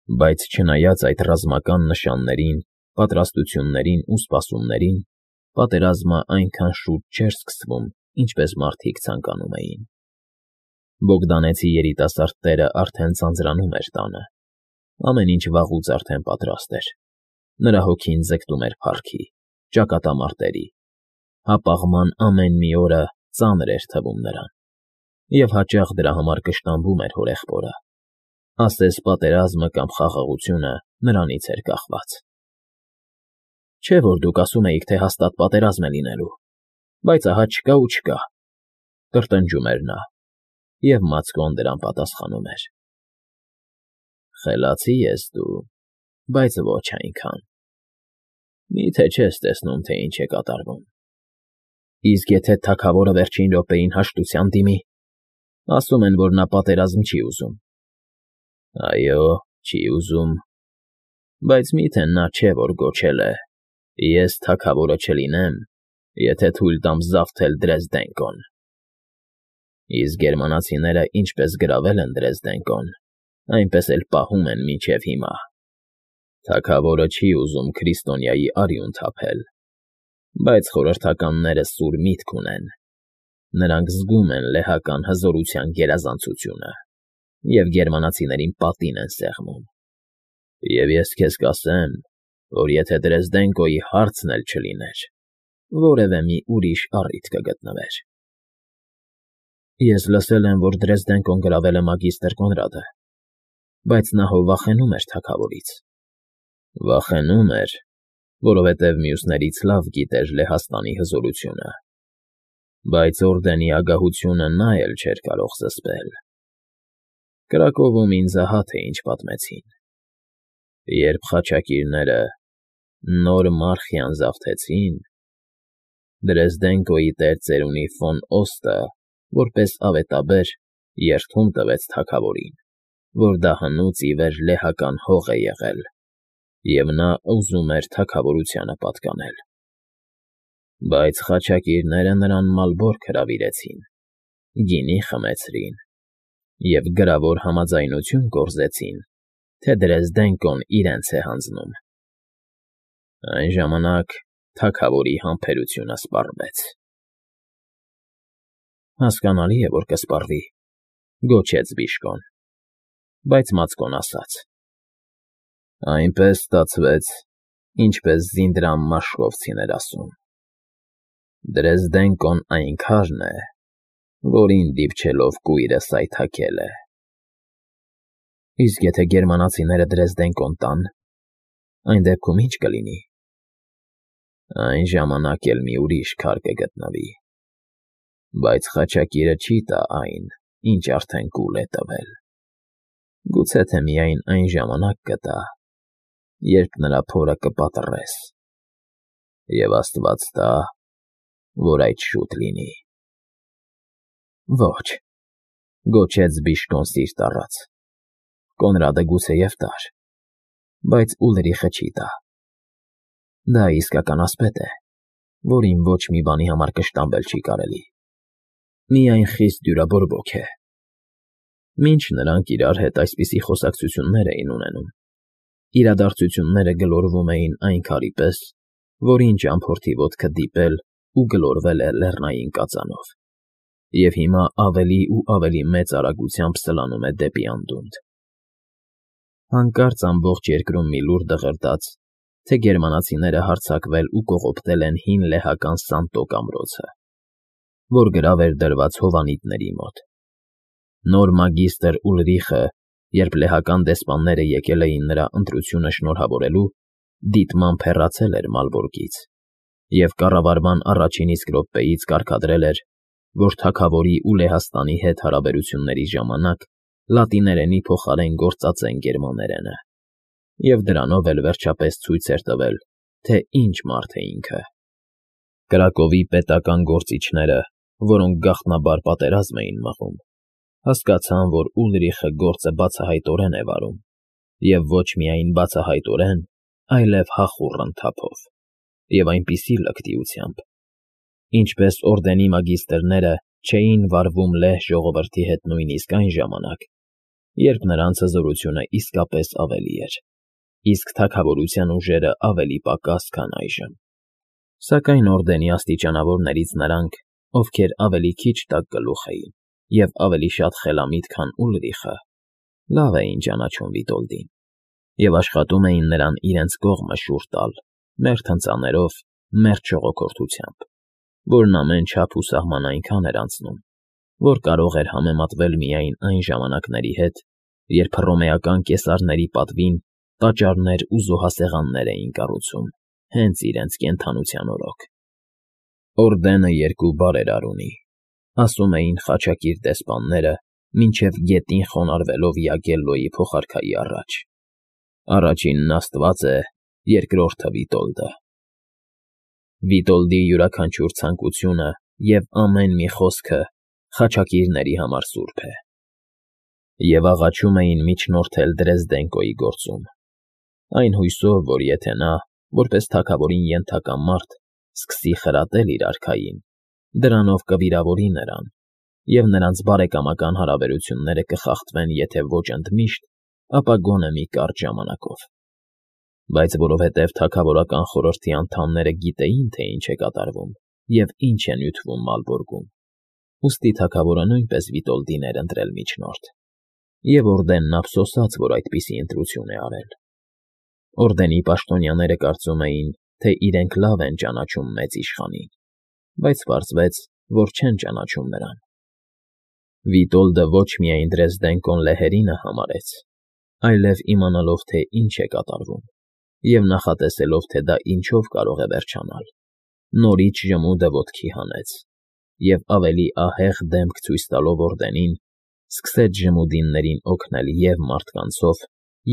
Բայց չնայած այդ ռազմական նշաններին, պատրաստություններին ու սպասումներին, պատերազմը այնքան շուտ չէր սկսվում, ինչպես մարդիկ ցանկանում էին։ Բոգդանեցի երիտասարդ տերը արդեն ձանձրանում էր տանը։ Ամեն ինչ վաղուց արդեն պատրաստ էր։ Նրա հոգին ձգտում էր փառքի, ճակատամարտերի, հապաղման ամեն մի օրը ծանր էր թվում նրան, և հաճախ դրա համար կշտամբում էր հորեղբորը։ Ասես պատերազմը կամ խաղաղությունը նրանից էր կախված։ Չէ՞ որ դուք ասում էիք, թե հաստատ պատերազմ է լինելու, բայց ահա չկա ու չկա, կրտնջում էր նա, և Մացկոն դրան պատասխանում էր. Խելացի ես դու, բայց ոչ այնքան։ Մի՞թե չես տեսնում, թե ինչ է կատարվում։ Իսկ եթե թագավորը վերջին րոպեին հաշտության դիմի, ասում են, որ նա պատերազմ չի ուզում։ Այո, չի ուզում, բայց միթե նա չէ, որ գոչել է. «Ես թագավորը չլինեմ, եթե թույլ տամ զավթել Դրեզդենկոն»։ Իսկ գերմանացիները ինչպես գրավել են Դրեզդենկոն, այնպես էլ պահում են մինչև հիմա։ Թագավորը չի ուզում Քրիստոնյայի արյուն թափել, բայց խորհրդականները սուր միտք ունեն։ Նրանք զգում են լեհական հզորության գերազանցությունը և գերմանացիներին պատին են սեղմում։ Եվ ես քեզ կասեմ, որ եթե Դրեզդենկոյի հարցն էլ չլիներ, որևէ մի ուրիշ առիթ կգտնվեր։ Ես լսել եմ, որ Դրեզդենկոն գրավել է մագիստր Կոնրադը, բայց նա հո վախենում էր թագավորից։ Վախենում էր, որովհետև մյուսներից լավ գիտեր Լեհաստանի հզորությունը, բայց օրդենի ագահությունը նա էլ չէր կարող զսպել։ Կրակովում ինձ ահա թե ինչ պատմեցին։ Երբ խաչակիրները նոր Մարխիան զավթեցին, Դրեզդենկոյի տերծերունի ֆոն Օստը, որպես ավետաբեր, երդում տվեց թագավորին, որ դա հնուց ի վեր լեհական հող է եղել, և նա ուզում էր թագավորությանը պատկանել։ Բայց խաչակիրները նրան մալբորք հրավիրեցին, գինի խմեցրին և գրավոր համաձայնություն կորզեցին, թե Դրեզդենկոն իրենց է հանձնում։ Այն ժամանակ թագավորի համբերությունը սպառվեց։ Հասկանալի է, որ կսպառվի, գոչեց Բիշկոն, բայց Մացկոն ասաց. Այնպես ստացվեց, ինչպես Զինդրամ Մաշկովցին էր ասում. Դրեզդենկոն այն քարն է, որին դիպչելով կույրը սայթաքել է։ Իսկ եթե գերմանացիները Դրեզդենկոն տան, այն դեպքում ի՞նչ կլինի։ Այն ժամանակ էլ մի ուրիշ քար կգտնվի, բայց խաչակիրը չի տա այն, ինչ արդեն կուլ է տվել։ Գուցե թե միայն այն ժամանակ կտա, երբ նրա փորը կպատռես։ Եվ Աստված տա, որ այդ շուտ լինի։ Ոչ, գոչեց Բիշկոն սիրտ առած։ Կոնրադը գուցեև տար, բայց Ուլրիխը չի տա։ Դա իսկական ասպետ է, որին ոչ մի բանի համար կշտամբել չի կարելի։ Միայն խիստ դյուրաբորբոք է։ Մինչ նրանք իրար հետ այսպիսի խոսակցություններ էին ունենում, իրադարձությունները գլորվում էին այն քարի պես, որին ճամփորդի ոտքը դիպել ու գլորվել է լեռնային կածանով, և հիմա ավելի ու ավելի մեծ արագությամբ սլանում է դեպի անդունդ։ Հանկարծ ամբողջ երկրում մի լուր դղրդաց, թե գերմանացիները հարձակվել ու կողոպտել են հին լեհական Սանտոկ ամրոցը, որ գրավ էր դրված հովանիտների մոտ։ Նոր մագիստր Ուլրիխը, երբ լեհական դեսպանները եկել էին նրա ընտրությունը շնորհավորելու, դիտմամբ հեռացել էր Մալբորգից և կառավարման առաջին իսկ րոպեից կարգադրել էր, որ թագավորի ու Լեհաստանի հետ հարաբերությունների ժամանակ լատիներենի փոխարեն գործածեն գերմաներենը, և դրանով էլ վերջապես ցույց էր տվել, թե ինչ մարդ է ինքը։ Կրակովի պետական գործիչները, որոնք գաղտնաբար պատերազմ էին մղում, հասկացան, որ Ուլրիխը գործը բացահայտորեն է վարում, և ոչ միայն բացահայտորեն, այլև հախուռ ընթափով, և այնպիսի լկտիությամբ, ինչպես օրդենի մագիստրները չէին վարվում լեհ ժողովրդի հետ նույնիսկ այն ժամանակ, երբ նրանց հզորությունը իսկապես ավելի էր, իսկ թագավորության ուժերը ավելի պակաս, քան այժմ։ Սակայն օրդենի աստիճանավորներից նրանք, ովքեր ավելի քիչ տաք գլուխ էին և ավելի շատ խելամիտ, քան Ուլրիխը, լավ էին ճանաչում Վիտոլդին և աշխատում էին նրան իրենց կողմը շուռ տալ մերթ հնձաներով, մերթ ժողոքորթությամբ, որն ամեն չափ ու սահման այնքան էր անցնում, որ կարող էր համեմատվել միայն այն ժամանակների հետ, երբ հռոմեական կեսարների պատվին տաճարներ ու զոհասեղաններ էին կառուցում հենց իրենց կենդանության օրոք։ Օրդենը երկու բարերար ունի, ասում էին խաչակիր դեսպանները, մինչև գետին խոնարհվելով Յագելլոյի փոխարքայի առաջ։ Առաջինն Աստված է, երկրորդը Վիտոլդը։ Վիտոլդի յուրաքանչյուր ցանկությունը և ամեն մի խոսքը խաչակիրների համար սուրբ է։ Եվ աղաչում էին միջնորդել Դրեզդենկոյի գործում, այն հույսով, որ եթե նա, որպես թագավորին ենթակա մարդ, սկսի խրատել իր արքային, դրանով կվիրավորի նրան, և նրանց բարեկամական հարաբերությունները կխախտվեն եթե ոչ ընդմիշտ, ապա գոնե մի կարճ ժամանակով։ Բայց որովհետև թագավորական խորհրդի անդամները գիտեին, թե ինչ է կատարվում և ինչ է նյութվում Մալբորգում, ուստի թագավորը նույնպես Վիտոլդին էր ընտրել միջնորդ, և օրդենն ափսոսաց, որ այդպիսի ընտրություն է արել։ Օրդենի պաշտոնյաները կարծում էին, թե իրենք լավ են ճանաչում մեծ իշխանին, բայց պարզվեց, որ չեն ճանաչում նրան։ Վիտոլդը ոչ միայն Դրեզդենկոն լեհերինը համարեց, այլև իմանալով, թե ինչ է կատարվում, և նախատեսելով, թե դա ինչով կարող է վերջանալ, նորից ժմուդը ոտքի հանեց և ավելի ահեղ դեմք ցույց տալով օրդենին, սկսեց ժմուդիններին օգնել և մարդկանցով,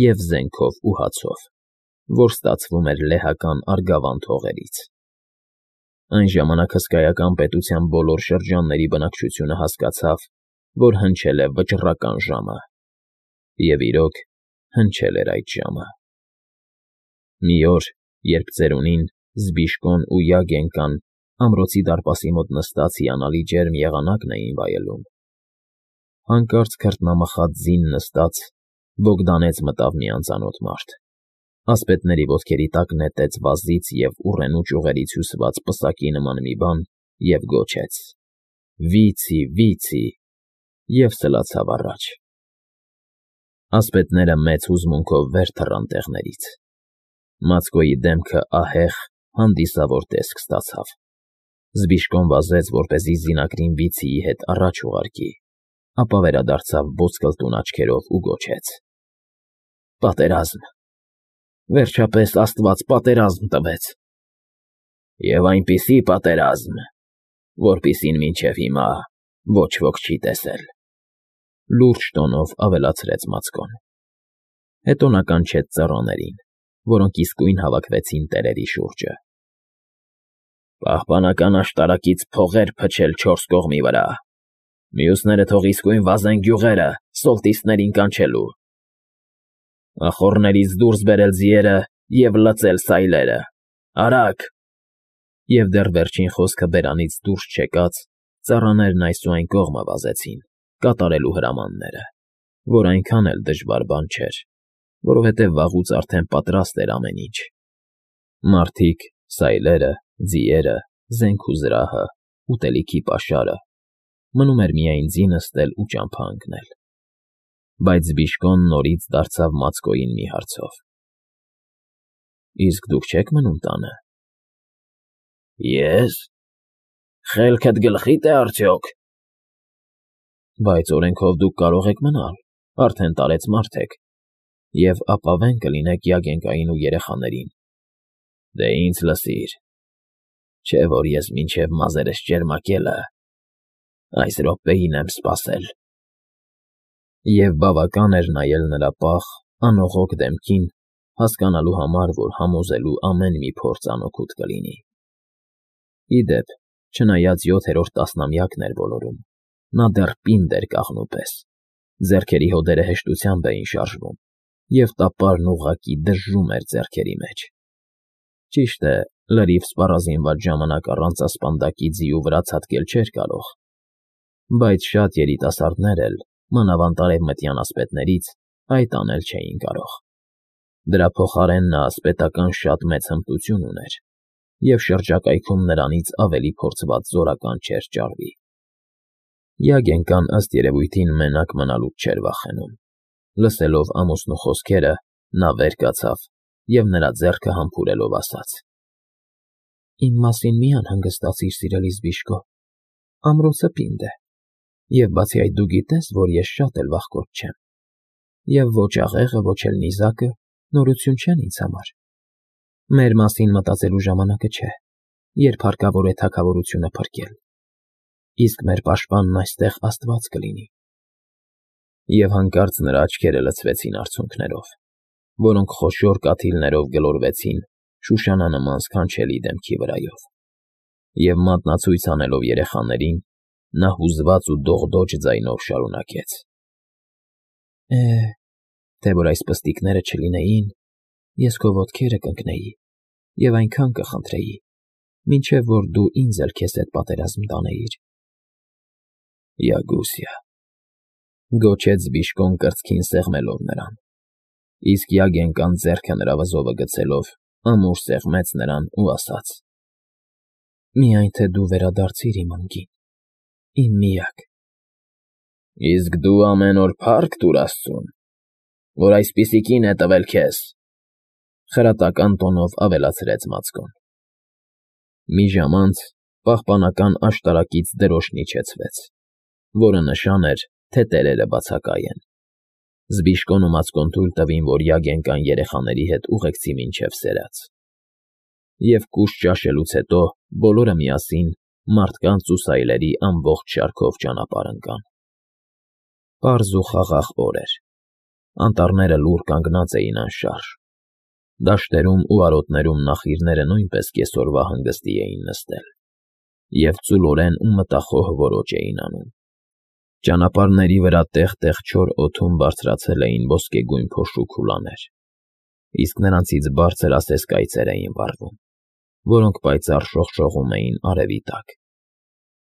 և զենքով ու հացով, որ ստացվում էր լեհական Արգավանդ հողերից։ Այն ժամանակ հսկայական պետության բոլոր շրջանների բնակչությունը հասկացավ, որ հնչել է վճռական ժամը, և իրոք հնչել էր այդ ժամը։ Մի օր, երբ ծերունին, Զբիշկոն ու Յագենկան ամրոցի դարպասի մոտ նստած հիանալի ջերմ եղանակն էին վայելում, հանկարծ քրտնամխած ձին նստած Բոգդանեց մտավ մի անծանոթ մարդ, ասպետների ոտքերի տակ նետեց վազից և ուռենու ճյուղերից հյուսված պսակի նման մի բան և գոչեց. «Վիցի, վիցի», և սլացավ առաջ։ Ասպետները մեծ հուզմունքով վեր թռան տեղներից։ Մացկոյի դեմքը ահեղ, հանդիսավոր տեսք ստացավ։ Զբիշկոն վազեց, որպեսզի զինակրին Վիցիի հետ առաջ ուղարկի, ապա վերադարձավ ոսկլտուն աչքերով ու գոչեց. «Պատերազմ, վերջապես Աստված պատերազմ տվեց, և այնպիսի պատերազմ, որպիսին մինչև հիմա ոչ ոք չի տեսել», լուրջ տոնով ավելացրեց Մացկոն։ Հետո նա կանչեց ծառաներին, որոնք իսկույն հավաքվեցին տերերի շուրջը։ «Պահպանական աշտարակից փողեր փչել չորս կողմի վրա, մյուսները թող իսկույն վազեն գյուղերը սոլտիսներին կանչելու, ախոռներից դուրս բերել ձիերը և լծել սայլերը, արագ»։ Եվ դեռ վերջին խոսքը բերանից դուրս չեկած, ծառաներն այս ու այն կողմը վազեցին, կատարելու հրամանները, որ այնքան էլ դժվար բան չէր, որովհետև վաղուց արդեն պատրաստ էր ամեն ինչ. մարդիկ, սայլերը, ձիերը, զենք ու զրահը, ուտելիքի պաշարը, մնում էր միայն ձի նստել ու ճամփա ընկնել։ Բայց Զբիշկոն նորից դարձավ Մացկոյին մի հարցով. «Իսկ դուք չե՞ք մնում տանը»։ «Ես… Խելքդ գլխի՞դ է արդյոք»։ «Բայց օրենքով դուք կարող եք մնալ, արդեն տարեց մարդ եք, և ապավեն կլինեք Յագենկային ու երեխաներին»։ «Դե ինձ լսիր, չէ՞ որ ես մինչև մազերս ճերմակելը այս րոպեին եմ սպասել»։ Եվ բավական էր նայել նրա պաղ, անողոք դեմքին, հասկանալու համար, որ համոզելու ամեն մի փորձ անօգուտ կլինի։ Ի դեպ, չնայած 7-րդ տասնամյակն էր ոլորում, նա դեռ պինդ էր կաղնու պես, ձեռքերի հոդերը հեշտությամբ էին շարժվում, և տապարն ուղղակի դժժում էր ձեռքերի մեջ։ Ճիշտ է, լրիվ սպառազինված ժամանակ առանց ասպանդակի ձիու վրա ցատկել չէր կարող, բայց շատ երիտասարդներ էլ, մանավանդ արևմտյան ասպետներից, այդ անել չէին կարող։ Դրա փոխարեն նա ասպետական շատ մեծ հմտություն ուներ, և շրջակայքում նրանից ավելի փորձված զորական չէր ճարվի։ Յագենկան ըստ երևույթին մենակ մնալուց չէր վախենում։ Լսելով ամուսնու խոսքերը, նա վեր կացավ և նրա ձեռքը համբուրելով ասաց. «Իմ մասին մի անհանգստացիր, սիրելիս Բիշկո, ամրոցը պինդ է, և բացի այդ դու գիտես, որ ես շատ էլ վախկոտ չեմ, և ոչ աղեղը, ոչ էլ նիզակը նորություն չեն ինձ համար։ Մեր մասին մտածելու ժամանակը չէ, երբ հարկավոր է թագավորությունը փրկել, իսկ մեր պաշտպանն այստեղ Աստված կլինի»։ Եվ հանկարծ նրա աչքերը լցվեցին արցունքներով, որոնք խոշոր կաթիլներով գլորվեցին շուշանանման սքանչելի դեմքի վրայով, և մատնացույց անելով երեխաներին, նա հուզված ու դողդոջ ձայնով շարունակեց. Թե որ այս պստիկները չլինեին, ես քո ոտքերը կընկնեի և այնքան կխնդրեի, մինչև որ դու ինձ էլ քեզ հետ պատերազմ տանեիր։ Յագուսյա, գոչեց Բիշկոն կրծքին սեղմելով նրան, իսկ Յագենկան ձեռքը նրա վզովը գցելով ամուր սեղմեց նրան ու ասաց. «Միայն թե դու վերադարձիր իմ անկին, իմ միակ»։ Իսկ դու ամեն օր փա՞ռք տուր Աստծուն, որ այսպիսի կին է տվել քեզ, խրատական տոնով ավելացրեց Մացկոն։ Մի ժամ անց պահպանական աշտարակից դրոշն իջեցվեց, որը նշան էր, թե տերերը բացակայ են։ Զբիշկոն ու Մացկոն թույլ տվին, որ Յագենկան երեխաների հետ ուղեկցի մինչև սերած։ Եվ կուշ ճաշելուց հետո բոլորը միասին մարդկանց ու սայլերի ամբողջ շարքով ճանապարհ ընկան։ Պարզ ու խաղաղ օր էր։ Անտառները լուռ կանգնած էին անշարժ։ Դաշտերում ու արոտներում նախիրները նույնպես կեսօրվա հանգստի էին նստել և ծուլորեն ու մտախոհ որոջ էին անում։ Ճանապարհների վրա տեղ֊տեղ չոր օդում բարձրացել էին ոսկեգույն փոշու քուլաներ, իսկ նրանցից բարձր ասես կայծեր էին վառվում, որոնք պայծառ շողշողում էին արևի տակ։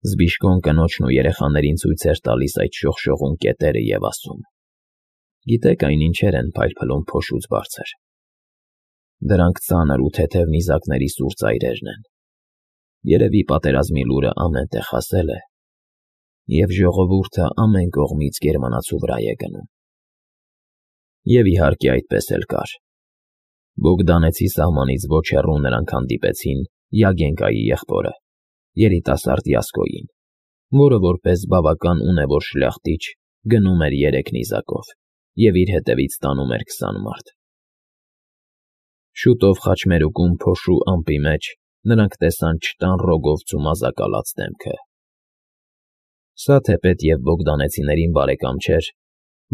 Զբիշկոն կնոջն ու երեխաներին ցույց էր տալիս այդ շողշողուն կետերը և ասում. «Գիտեք այն ինչեր են փայլփլում փոշուց բարձր։ Դրանք ծանր ու թեթև նիզակների սուր ծայրերն են։ Երևի պատերազմի լուրը ամեն տեղ հասել է, և ժողովուրդը ամեն կողմից գերմանացու վրա է գնում»։ Եվ իհարկե այդպես էլ կար։ Բոգդանեցի սահմանից ոչ հեռու նրանք հանդիպեցին Յագենկայի եղբորը, երիտասարդ Յասկոյին, որը որպես բավական ունևոր շլյախտիչ գնում էր 3 նիզակով և իր հետևից տանում էր 20 մարդ։ Շուտով խաչմերուկում փոշու ամպի մեջ նրանք տեսան չտան ռոգովցու մազակալած դեմքը։ Սա թեպետ և բոգդանեցիներին բարեկամ չէր,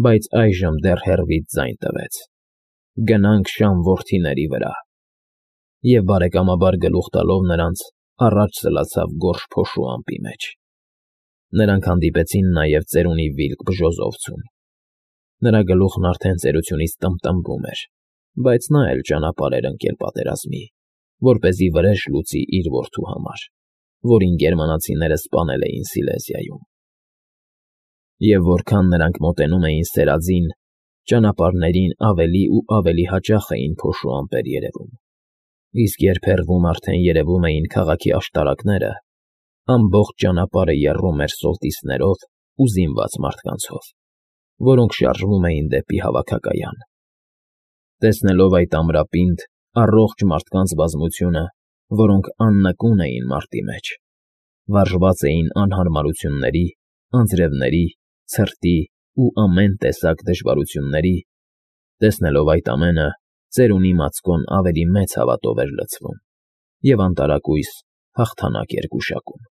բայց այժմ դեռ հեռվից ձայն տվեց. «Գնանք Շամ որդիների վրա»։ Եվ բարեկամաբար գլուխ տալով նրանց, առաջ սլացավ գորշ փոշու ամպի մեջ։ Նրանք հանդիպեցին նաև ծերունի Վիլկ Բժոզովցուն։ Նրա գլուխն արդեն ծերությունից տմբտմբում էր, բայց նա էլ ճանապարհ էր ընկել պատերազմի, որպեսզի վրեժ լուծի իր որդու համար, որին գերմանացիները սպանել էին Սիլեզիայում։ Եվ որքան նրանք մոտենում էին սերածին, ճանապարհներին ավելի ու ավելի հաճախ էին փոշու ամպեր երևում, իսկ երբ հեռվում արդեն երևում էին քաղաքի աշտարակները, ամբողջ ճանապարհը եռում էր սոլտիսներով ու զինված մարդկանցով, որոնք շարժվում էին դեպի հավաքակայան։ Տեսնելով այդ ամրապինդ, առողջ մարդկանց բազմությունը, որոնք աննկուն էին մարտի մեջ, վարժված էին անհարմարությունների, անձրևների, ցրտի ու ամեն տեսակ դժվարությունների, տեսնելով այդ ամենը, ծերունի Մացկոն ավելի մեծ հավատով էր լցվում և անտարակույս հաղթանակ էր գուշակում։